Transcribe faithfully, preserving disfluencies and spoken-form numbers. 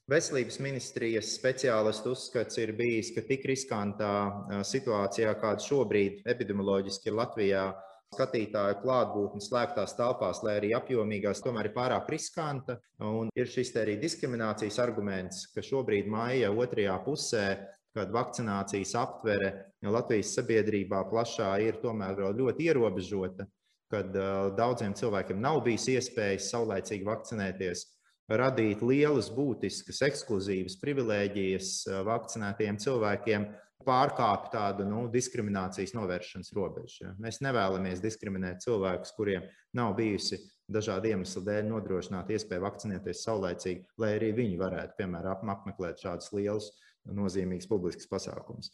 Veselības ministrijas speciālistu uzskats ir bijis, ka tik riskantā situācijā, kāda šobrīd epidemioloģiski ir Latvijā, skatītāju klātbūtne slēgtās telpās, lai arī apjomīgās, tomēr ir pārāk riskanta. Un ir šis te arī diskriminācijas arguments, ka šobrīd maija otrajā pusē, kad vakcinācijas aptvere Latvijas sabiedrībā plašā ir tomēr vēl ļoti ierobežota, kad daudziem cilvēkiem nav bijis iespējas saulaicīgi vakcinēties, radīt lielas, būtiskas, ekskluzīvas privilēģijas vakcinētajiem cilvēkiem, pārkāpj tādu nu, diskriminācijas novēršanas robežu. Mēs nevēlamies diskriminēt cilvēkus, kuriem nav bijusi dažādu iemeslu dēļ nodrošināta iespēja vakcinēties saulaicīgi, lai arī viņi varētu, piemēram, apmeklēt šādus lielus, nozīmīgus publiskus pasākumus.